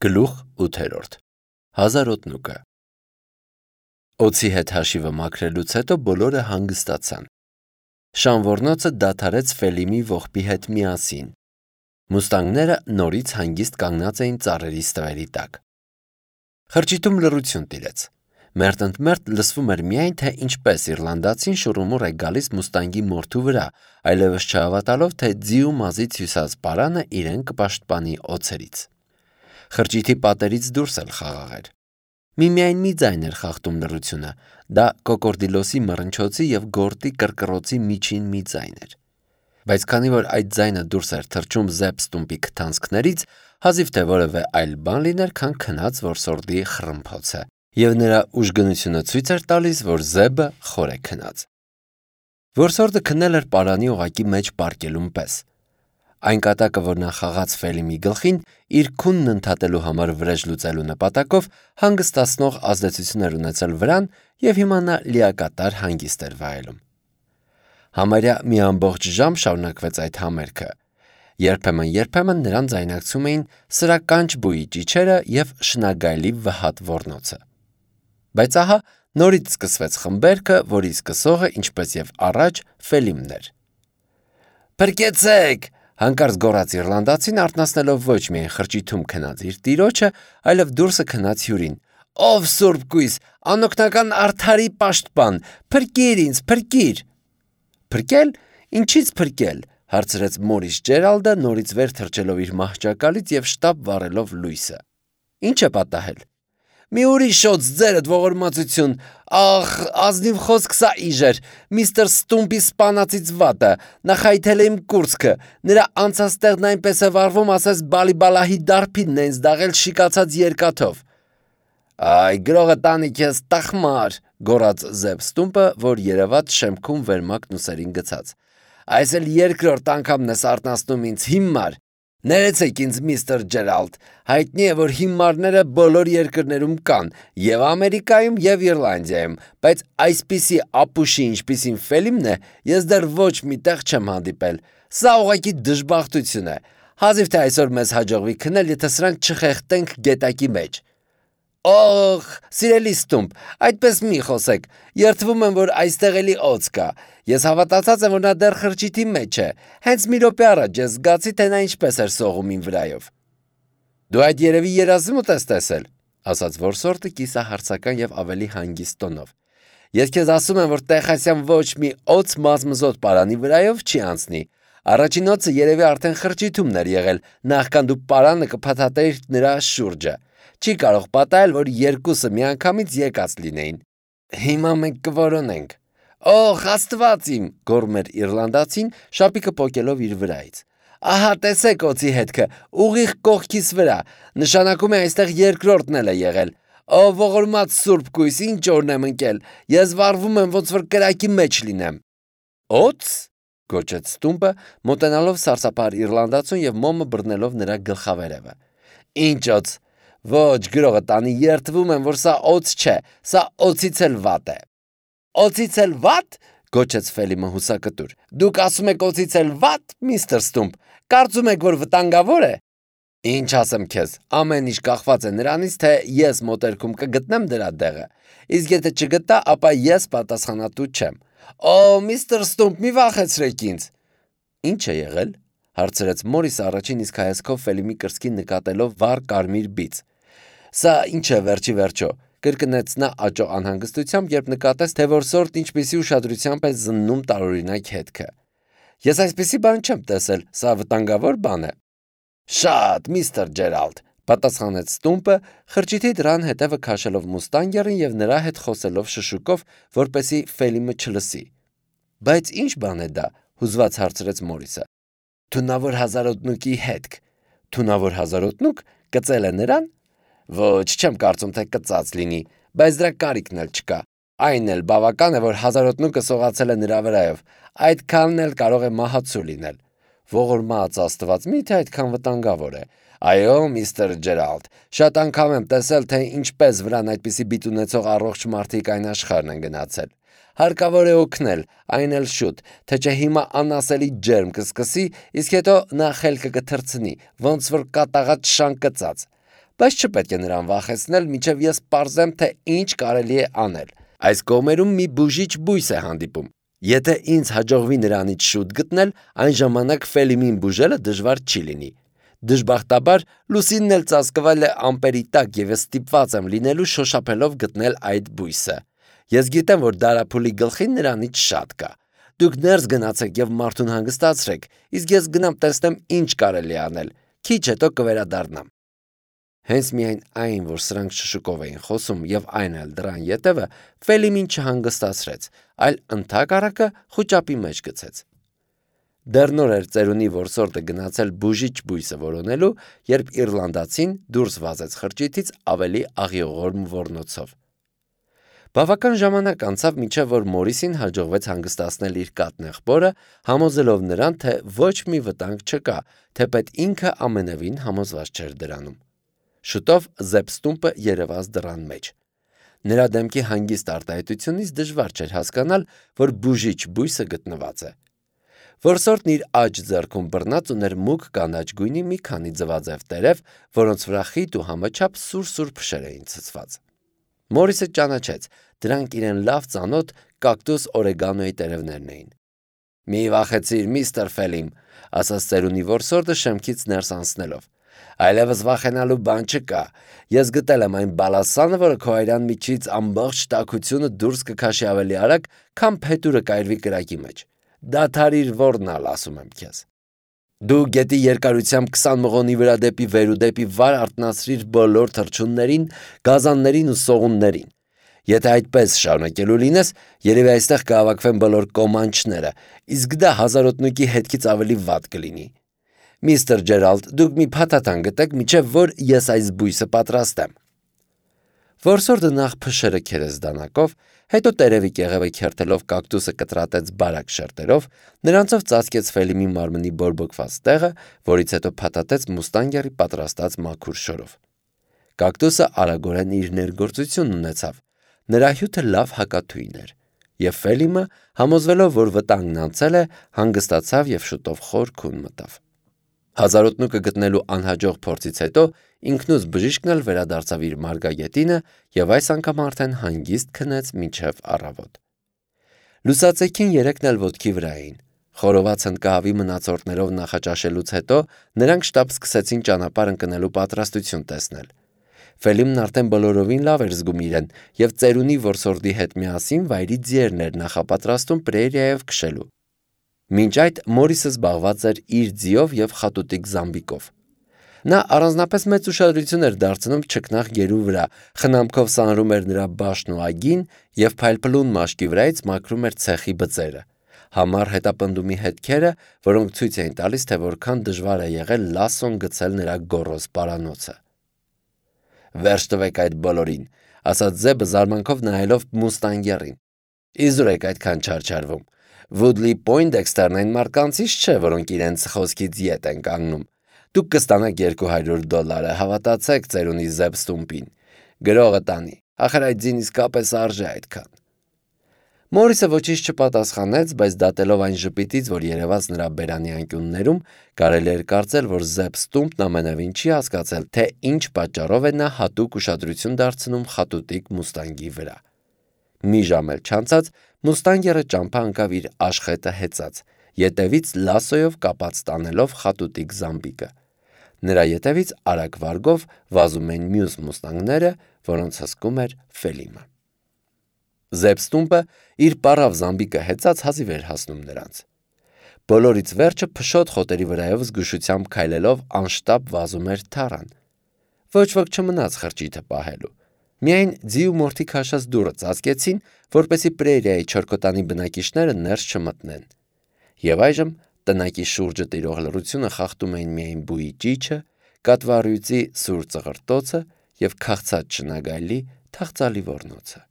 Գլուխ 8 Հազարոտնուկը Օձի հետ հաշիվը մաքրելուց հետո բոլորը հանգստացան։ Շան ոռնոցը դադարեց Ֆելիմի ողբի հետ միասին։ Մուստանգները նորից հանգիստ կանգնած էին ծառերի ստվերի տակ։ Խրճիթում լռություն տիրեց։ Մերթ-ընդ-մերթ լսվում էր միայն, թե ինչպես իռլանդացին շուռումուռ է գալիս մուստանգի մորթու վրա, այլևս չհավատալով, թե ձի ու մազից հյուսած պարանը իրեն կպաշտպանի օձերից։ Խրճիթի պատերից դուրս էլ խաղաղ էր։ Միայն մի ձայն էր խախտում լռությունը, դա կոկորդիլոսի մռնչոցի և գորտի կռկռոցի միջին մի ձայն էր։ Բայց քանի որ այդ ձայնը դուրս էր թռչում Զեբ Ստումպի քթանցքներից, հազիվ թե որևէ այլ բան լիներ, քան քնած որսորդի խռմփոցը, և նրա ուժգնությունը ցույց էր տալիս, որ Զեբը խոր է քնած։ Որսորդը քնել էր պարանի օղակի մեջ պառկելուն պես։ Այն կատակը, որ նա խաղաց Ֆելիմի գլխին, իր քունն ընդհատելու համար վրեժ լուծելու նպատակով հանգստացնող ազդեցություն էր ունեցել վրան, և հիմա նա լիակատար հանգիստ էր վայելում։ Համարյա մի ամբողջ ժամ շարունակվեց այդ համերգը։ Երբեմն նրան ձայնարկում էին սրականչ բույի ճիչերը և շնագայլի վհատ ոռնոցը։ Բայց ահա նորից սկսվեց խմբերգը, որի սկսողը, ինչպես և առաջ, Ֆելիմն էր։ «Փրկեցե՛ք», հանկարծ գոռաց իռլանդացին, արթնացնելով ոչ միայն խրճիթում քնած իր տիրոջը, այլև դուրսը քնած հյուրին։ «Ով սուրբ կույս, անօգնական արդարի պաշտպան, փրկիր ինձ, փրկիր»։ «Փրկել, ինչի՞ց փրկել», հարցրեց Մորիս Ջերալդը, նորից վեր թռչելով իր մահճակալից և շտապ վառելով լույսը։ «Ինչ է պատահել»։ «Մի ուրիշ շոց, ձերդ ողորմածություն, ախ, ազնիվ խոսք սա իժեր, միստր Ստումպի սպանածից վատը, նա խայթել է իմ կուրծքը, նրա անցած տեղն այնպես է վառվում, ասես Բալիբալահի դարբինն է ինձ դաղել շիկացած երկաթով»։ «Այ, գրողը տանի քեզ, տխմար», գոռաց Զեբ Ստումպը, որ երևաց շեմքում վերմակն ուսերին գցած։ «Այս էլ երկրորդ անգամն ես արթնացնում ինձ, հիմար։ Ներեցեք ինձ, միստր Ջերալդ, հայտնի է, որ հիմարները բոլոր երկրներում կան, և Ամերիկայում, և Իռլանդիայում, բայց այսպիսի ապուշի, ինչպիսին Ֆելիմն է, ես դեռ ոչ մի տեղ չեմ հանդիպել։ Սա ուղղակի դժբախտություն է։ Հազիվ թե այսօր մեզ հաջողվի քնել, եթե սրանք չխեղդենք գետակի մեջ»։ «Օխ, սիրելի Ստումպ, այդպես մի խոսեք, երդվում եմ, որ այստեղ էլի օձ կա։ Ես հավատացած եմ, որ նա դեռ խրճիթի մեջ է։ Հենց մի րոպե առաջ ես զգացի, թե նա ինչպես էր սողում իմ վրայով»։ «Դու այդ երևի երազումդ ես տեսել», ասաց որսորդը կիսահարցական և ավելի հանգիստ տոնով։ «Ես քեզ ասում եմ, որ Տեխասյան ոչ մի օձ մազմզոտ պարանի վրայով չի անցնի։ Առաջին օձը երևի արդեն խրճիթումն էր եղել, նախքան դու պարանը կփաթաթեիր նրա շուրջը։ Չի կարող պատահել, որ երկուսը միանգամից եկած լինեին։ Հիմա մենք կորոնենք»։ «Օխ, Աստված իմ», գոռում էր իռլանդացին, շապիկը պոկելով իր վրայից։ «Ահա տեսեք օձի հետքը, ուղիղ կողքիս վրա, նշանակում է այստեղ երկրորդն էլ է եղել։ Ո ողորմած սուրբ կույս, ինչ օրն եմ ընկել, ես վառվում եմ, ոնց որ կրակի մեջ լինեմ»։ «Օձ», գոչեց Ստումպը, մոտենալով սարսափահար իռլանդացուն և մոմը բռնելով նրա գլխավերևը։ «Ինչ օձ։ Ոչ, գրողը տանի, երդվում եմ, որ սա օձ չէ, սա օձից էլ վատ է»։ «Օձից էլ վատ», գոչեց Ֆելիմը հուսակտուր։ «Դուք ասում եք օձից էլ վատ, միստր Ստումպ, կարծում եք, որ վտանգավոր է»։ «Ինչ ասեմ քեզ, ամեն ինչ կախված է նրանից, թե ես մոտերքում կգտնեմ դրա դեղը։ Իսկ եթե չգտա, ապա ես պատասխանատու չեմ։ Օ, միստր Ստումպ, մի վախեցրեք ինձ»։ «Ինչ է եղել», հարցրեց Մորիսը առաջին իսկ հայացքով Ֆելիմի կրծքին նկատելով վառ կարմիր բիծ։ «Սա ինչ է վերջի վերջո», կրկնեց նա աճող անհանգստությամբ, երբ նկատեց, թե որսորդն ինչպիսի ուշադրությամբ է զննում տարօրինակ հետքը։ «Ես այսպիսի բան չեմ տեսել, սա վտանգավոր բան է»։ «Շատ, միստր Ջերալդ», պատասխանեց Ստումպը, խրճիթի դռան հետևը քաշելով մուստանգերին և նրա հետ խոսելով շշուկով, որպեսզի Ֆելիմը չլսի։ «Բայց ինչ բան է դա», հուզված հարցրեց Մորիսը։ «Թունավոր հազարոտնուկի հետք»։ «Թունավոր հազարոտնուկ, կծել է նրան»։ «Ոչ, չեմ կարծում, թե կծած լինի, բայց դրա կարիքն էլ չկա։ Այն էլ բավական է, որ հազարոտնուկը սողացել է նրա վրայով, այդքանն էլ կարող է մահացու լինել»։ «Ողորմած Աստված, մի՞թե այդքան վտանգավոր է»։ «Այո, միստր Ջերալդ, շատ անգամ եմ տեսել, թե ինչպես վրան այդպիսի բիծ ունեցող առողջ մարդիկ այն աշխարհն են գնացել։ Հարկավոր է օգնել, այն էլ շուտ, թե չէ հիմա անասելի ջերմ կսկսի, իսկ հետո նա խելքը կթռցնի, ոնց որ կատաղած շան կծած։ բայց չպետք է նրան վախեցնել, մինչև ես պարզեմ, թե ինչ կարելի է անել։ Այս կողմերում մի բուժիչ բույս է հանդիպում։ Եթե ինձ հաջողվի նրանից շուտ գտնել, այն ժամանակ Ֆելիմին բուժելը դժվար չի լինի։ Դժբախտաբար Լուսինն էլ ծածկվել է ամպերի տակ եւ ես ստիպված եմ լինելու շոշափելով գտնել այդ բույսը։ Ես գիտեմ, որ դարափուլի գլխին նրանից շատ կա։ Դուք ներս գնացեք եւ մարդուն հանգստացրեք, իսկ ես գնամ տեսնեմ ինչ կարելի անել։ Քիչ հետո կվերադառնամ։ Հենց միայն այն, որ սրանք շշուկով էին խոսում եւ այն էլ դրան ետևը, Ֆելիմին չհանգստացրեց, այլ ընդհակառակը խուճապի մեջ գցեց։ Դեռ նոր էր ծերունի որսորդը գնացել բուժիչ բույսը որոնելու, երբ իռլանդացին դուրս վազեց խրճիթից ավելի աղիողորմ ոռնոցով։ Բավական ժամանակ անցավ, մինչև որ Մորիսին հաջողվեց հանգստացնել իր կաթնեղբորը, համոզելով նրան, թե ոչ մի վտանգ չկա, թեպետ ինքը ամենևին համոզված չէր դրանում։ Շուտով Զեփստումպը երևաց դռան մեջ։ Նրա դեմքի հանգիստ արտահայտությունից դժվար չէր հասկանալ, որ բուժիչ բույսը գտնված է։ Որսորդն իր աջ ձեռքում բռնած ուներ մուգ կանաչ գույնի մի քանի ձվաձև տերև, որոնց վրա խիտ ու համաչափ սուր փշեր էին ցցված։ Մորիսը ճանաչեց, դրանք իրեն լավ ծանոթ կակտուս օրեգանոյի տերևներն էին։ Մի վախեցիր, միստր Ֆելիմ, ասաց ծերունի որսորդը շեմքից ներս անցնելով։ Այլևս վախենալու բան չկա։ Ես գտել եմ այն բալասանը, որը քո այրան միջից ամբողջ տաքությունը դուրս կքաշի ավելի արագ, քան փետուրը կայրվի կրակի մեջ։ Դադարիր ոռնալ, ասում եմ քեզ։ Դու գետի երկարությամբ 20 մղոնի վրա դեպի վեր ու դեպի վար արտնացրիր բոլոր թռչուններին, գազաններին ու սողուններին։ Եթե այդպես շարունակելու լինես, երևի այստեղ կհավաքվեն բոլոր կոմանչները, իսկ դա հազարոտնուկի հետքից ավելի վատ կլինի։ Միստր Ջերալդ, դուք մի փաթաթան գտեք, միջև որ ես այս բույսը պատրաստեմ։ Որսորդը նախ փշերը քերեց դանակով, հետո տերևի կեղևը քերթելով կակտուսը կտրատեց բարակ շերտերով, նրանցով ծածկեց Ֆելիմի մարմնի բորբոքված տեղը, որից հետո փաթաթեց մուստանգերի պատրաստած մաքուր շորով։ Կակտուսը արագորեն իր ներգործությունն ունեցավ։ Նրա հյութը լավ հակաթույն էր, եւ Ֆելիմը, համոզվելով, որ վտանգն անցել է, հանգստացավ եւ շուտով խոր քուն մտավ։ Հազարոտնուկը գտնելու անհաջող փորձից հետո ինքնուց բժիշկն էլ վերադարձավ իր մարգագետինը եւ այս անգամ արդեն հանգիստ քնեց մինչև առավոտ։ Լուսացեքին երեքն էլ ոտքի վրա էին։ Խորոված հնդկահավի մնացորդներով նախաճաշելուց հետո նրանք շտապ սկսեցին ճանապարհ ընկնելու պատրաստություն տեսնել։ Ֆելիմն արդեն բոլորովին լավ էր զգում իրեն եւ ծերունի որսորդի հետ միասին վայրի ձիերներ նախապատրաստում պրերիայով քշելու։ Մինչ այդ Մորիսը զբաղված էր իր ձիով եւ խատուտիկ զամբիկով։ Նա առանձնապես մեծ ուշադրություն էր դարձնում չքնաղ գերու վրա, խնամքով սանրում էր նրա բաշն ու ագին եւ փայլփլուն մաշկի վրայից մաքրում էր ցեխի բծերը։ Համառ հետապնդումի հետքերը, որոնք ցույց էին տալիս, թե որքան դժվար է եղել լասոն գցել նրա գոռոզ պարանոցը։ Վերջ տվեք այդ բոլորին, ասաց Զեբը զարմանքով նայելով մուստանգերին։ Իզուր եք այդքան չարչարվում։ Woodley Poindexter-ն այն մարկանցից չէ, որոնք իրենց խոսքից ետ են կանգնում։ Դուք կստանաք $200, հավատացեք ծերունի Զեփստումպին։ Գրողը տանի, ախր այդ ձին իսկապես արժե այդքան։ Մորիսը ոչինչ չպատասխանեց, բայց դատելով այն ժպիտից, որ երևաց նրա բերանի անկյուններում, կարելի էր կարծել, որ Զեփստումպն ամենևին չի հասկացել, թե ինչ պատճառով է նա հատուկ ուշադրություն դարձնում խատուտիկ մուստանգի վրա։ Մի ժամ էլ չանցած մուստանգերը ճամփա ընկավ իր աշխետը հեծած, ետևից լասոյով կապած տանելով խատուտիկ զամբիկը։ Նրա ետևից արագ վարգով վազում էին մյուս մուստանգները, որոնց հսկում էր Ֆելիմը։ Զեփստումպը իր պարավ զամբիկը հեծած հազիվ էր հասնում նրանց։ Բոլորից վերջը փշոտ խոտերի վրայով զգուշությամբ քայլելով անշտապ վազում էր թառան։ Ոչ ոք չմնաց խրճիթը պահելու։ Միայն ձի ու մորթի քաշած դուռը ծածկեցին, որպեսզի պրերիայի չորքոտանի բնակիչները ներս չմտնեն։ Եվ այժմ տնակի շուրջը տիրող լռությունը խախտում էին միայն բույի ճիչը, կատվառյուծի սուր ծղրտոցը եւ քաղցած շնագայլի թախծալի ոռնոցը։